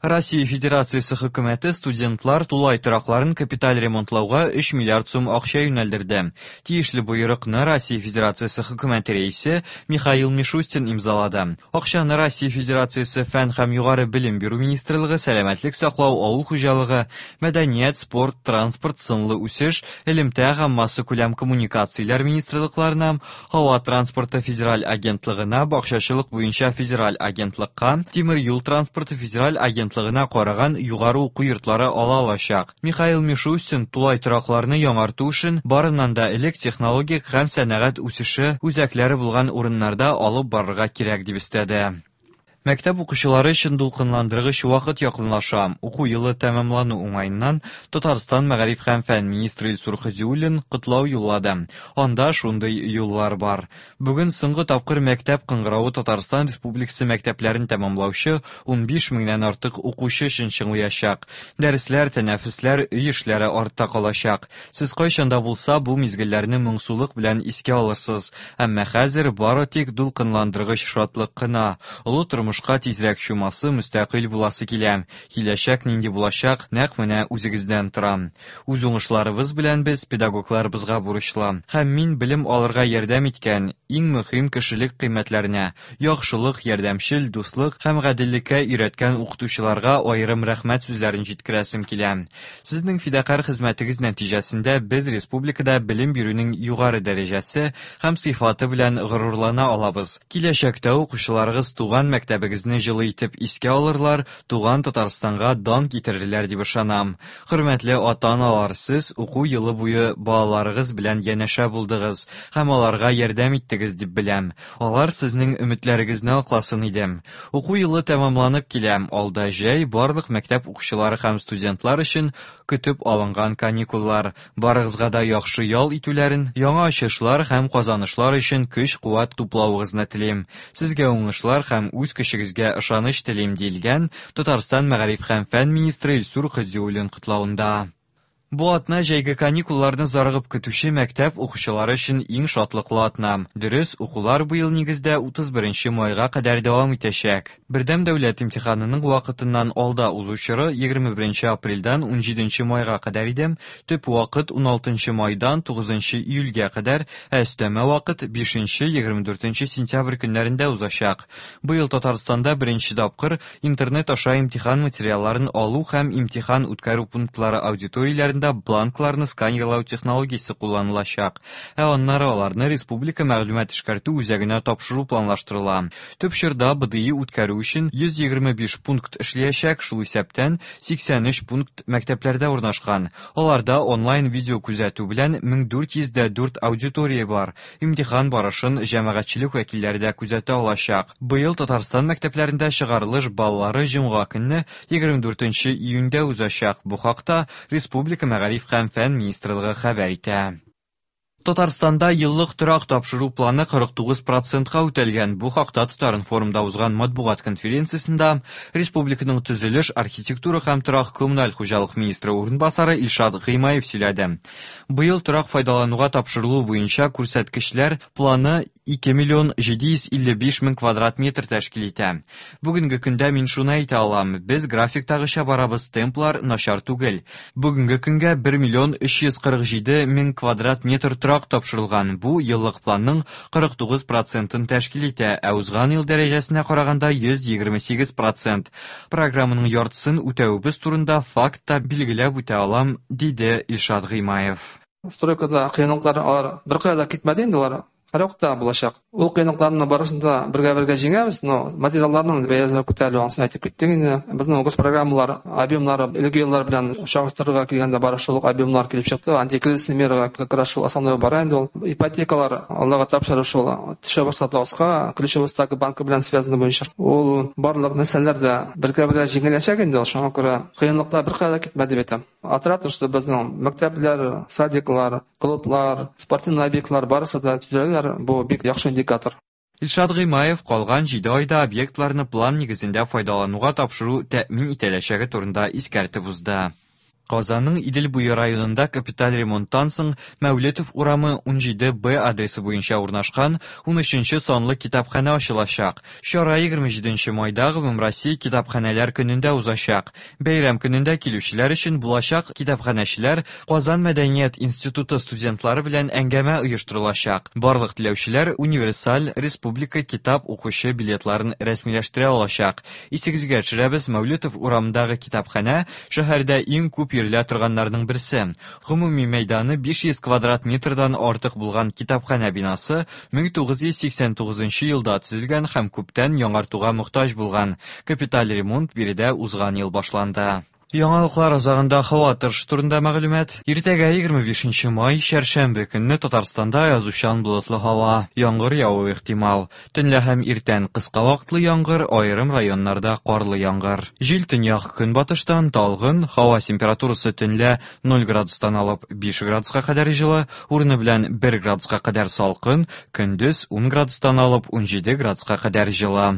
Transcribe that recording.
Россия Федерациясе хөкүмәте студентлар тулай торакларын капиталь ремонтлауга 3 миллиард сум акча юнәлдерде. Тиешле боерыкны Россия Федерациясе хөкүмәте рәисе Михаил Мишустин имзалады. Акчаны Россия Федерациясе Фән һәм югары белем бирү министрлыгы, сәламәтлек саклау, авыл хуҗалыгы, мәдәният, спорт, транспорт, сынлы үсеш, элемтә һәм массакүләм коммуникацияләр министрлыкларына, Һава транспорты федераль агентлыгына, бакчачылык буенча федераль агентлыкка, тимер юл транспорты федераль агентлыгына караган югары уку йортлары ала алачак. Михаил Мишустин тулай торакларны яңарту эшен барыннан да элек технологик һәм сәнәгать үсеше үзәкләре булган урыннарда алып барырга кирәк дип өстәде. Мәктәп укучылары өчен дулкынландыргыч вакыт якынлаша. Уку елы тәмамлану уңаеннан Татарстан мәгариф һәм фән министры Илсур Һадиуллин котлау юллады. Анда шундый юллар бар. Бүген соңгы тапкыр мәктәп кыңгыравы Татарстан Республикасы мәктәпләрен тәмамлаучы 15 меңнән артык укучы өчен чыңлыячак. Дәресләр, тәнәфесләр, өй эшләре артта калачак. Сез кайчан да булса бу мизгелләрне моңсулык белән искә алырсыз, әмма хәзер бары тик дулкынландыргыч шатлык кына. Олы тормышка тизрәк чумасы, мөстәкыйль буласы килә. Киләчәк нинди булачак, нәкъ менә үзегездән тора. Үз уңышларыбыз белән без педагогларыбызга бурычлы. Һәм мин белем алырга ярдәм иткән иң мөһим кешелек кыйммәтләренә, яхшылык, ярдәмчел, дуслык һәм гаделлеккә өйрәткән укытучыларга аерым рәхмәт сүзләрен җиткерәсем килә. Сезнең фидакарь хезмәтегез нәтиҗәсендә без республикада белем бирүнең югары дәрәҗәсе һәм сыйфаты белән горурлана алабыз. Киләчәктә укучыларыгыз туган мәктәбегезне җылы итеп искә алырлар, туган Татарстанга дан китерерләр дип ышанам. Хөрмәтле ата-аналар, сез уку елы буе балаларыгыз белән янәшә булдыгыз һәм аларга ярдәм иттегез дип беләм. Алар сезнең өметләрегезне акласын иде. Уку елы тәмамланып килә. Алда җәй, барлык мәктәп укучылары һәм студентлар өчен көтеп алынган каникуллар. Барыгызга да яхшы ял итүләрен, яңа ачышлар һәм казанышлар өчен көч-куәт туплавыгызны телим. Сезгә уңышлар һәм үз көчегезгә ышаныч телим, диелгән Татарстан мәгариф һәм фән министры Илсур Һадиуллин котлавында. Бу атна җәйге каникулларны зарыгып көтүче мәктәп укучылары өчен иң шатлыклы атна. Дөрес, укулар быел нигездә 31 майга кадәр дәвам итәчәк. Бердәм дәүләт имтиханының вакытыннан алда узу чоры 21 апрельдән 17 майга кадәр иде, төп вакыт 16 майдан 9 июльгә кадәр, ә өстәмә вакыт 5-24 сентябрь көннәрендә узачак. Быел Татарстанда беренче тапкыр Интернет аша имтихан материалларын алу һәм имтихан үткәрү пунктлары аудиторияләрендә бланкларны сканерлау технологиясе кулланылачак, ә аннары аларны республика мәгълүмат эшкәртү үзәгенә тапшыру планлаштырыла. Төп чорда БДИ үткәрү өчен 125 пункт эшләячәк, шул исәптән 83 пункт мәктәпләрдә урнашкан. Аларда онлайн видеокүзәтү белән 1404 аудитория бар. Имтихан барышын җәмәгатьчелек вәкилләре дә күзәтә алачак. Быел Татарстан мәктәпләрендә чыгарылыш баллары җомга көнне, 24 июньдә узачак. Бу хакта республика Мәгариф һәм фән министрлыгы хәбәр итә. Татарстанда еллык торак тапшыру планы 49 процентка үтәлгән. Бу хакта Татаринформда узган матбугат конференциясендә республиканың төзелеш, архитектура һәм торак-коммуналь хуҗалык министры урынбасары Илшат Гыймаев сөйләде. Быел торак файдалануга тапшырылу буенча күрсәткечләр планы 2 миллион 755 мең квадрат метр тәшкил итә. Бүгенге көндә мин шуны әйтә алам, без графиктагыча барабыз, темплар начар түгел. Бүгенге көнгә 1 миллион 347 мең квадрат метр торак тапшырылган, бу еллык планның 49 процентын тәшкил итә, ә узган ел дәрәҗәсенә караганда 128 процент. Программаның яртысын үтәвебез турында факт та билгеләп үтә алам, диде Илшат Гыймаев. Стройкада кыенлыклар алар беркая да китмәде инде алар һәрвакытта булачак. Ул кыенлыкларны барысын да бергә-бергә җиңәбез, но материалларның бәясе күтәрелү ансын әйтеп киттек инде. Безнең госпрограммалар объемнары элге еллар белән чагыштырырга килгәндә бары шул ук объемнар килеп чыкты. Антикризисный мерага как раз шул основной бара инде ул. Ипотекалар Аллага тапшыру шул төшә башлады аска, ключевой ставка банкы белән связаны буенча. Ул барлык нәрсәләр дә бергә-бергә җиңеләчәк инде ул, шуңа күрә кыенлыклар беркая да китмәде дип әйтәм. Отрадно, что безнең мәктәпләр, садиклар, клублар, спортивный объектлар барысы да төзеләләр, бу бик яхшы индикатор. Илшат Гыймаев калган җиде айда объектларны план нигезендә файдалануга тапшыру тәэмин ителәчәге турында искәртеп узды. Казанның Идел буе районында капиталь ремонттан соң Мәүлетов урамы 17 Б адресы буенча урнашкан 13 нче санлы китапханә ачылачак. Чара 27 майда Гомумроссия китапханәләр көнендә узачак. Бәйрәм көнендә килүчеләр өчен булачак китапханәчеләр Казан мәдәният институты студентлары белән әңгәмә оештырылачак. Барлык теләүчеләр универсаль республика китап укучы билетларын рәсмиләштерә алачак. Исегезгә төшерәбез, Мәүлетов урамындагы китапханә шәһәрдә иң күп йөрелә торганнарның берсе. Гомуми мәйданы 500 квадрат метрдан артык булган китапханә бинасы 1989 елда төзелгән һәм күптән яңартуга мохтаҗ булган. Капиталь ремонт биредә узган ел башланды. Яңалыклар азагында һава торышы турында мәгълүмат. Иртәгә 25 май, чәршәмбе көнне Татарстанда аязучан болытлы һава, яңгыр явуы ихтимал. Төнлә һәм иртән кыска вакытлы яңгыр, аерым районнарда карлы яңгыр. Җил төньяк-көнбатыштан талгын, һава температурасы төнлә 0 градустан алып 5 градуска кадәр җылы, урыны белән 1 градуска кадәр салкын, көндез 10 градустан алып 17 градуска кадәр җылы.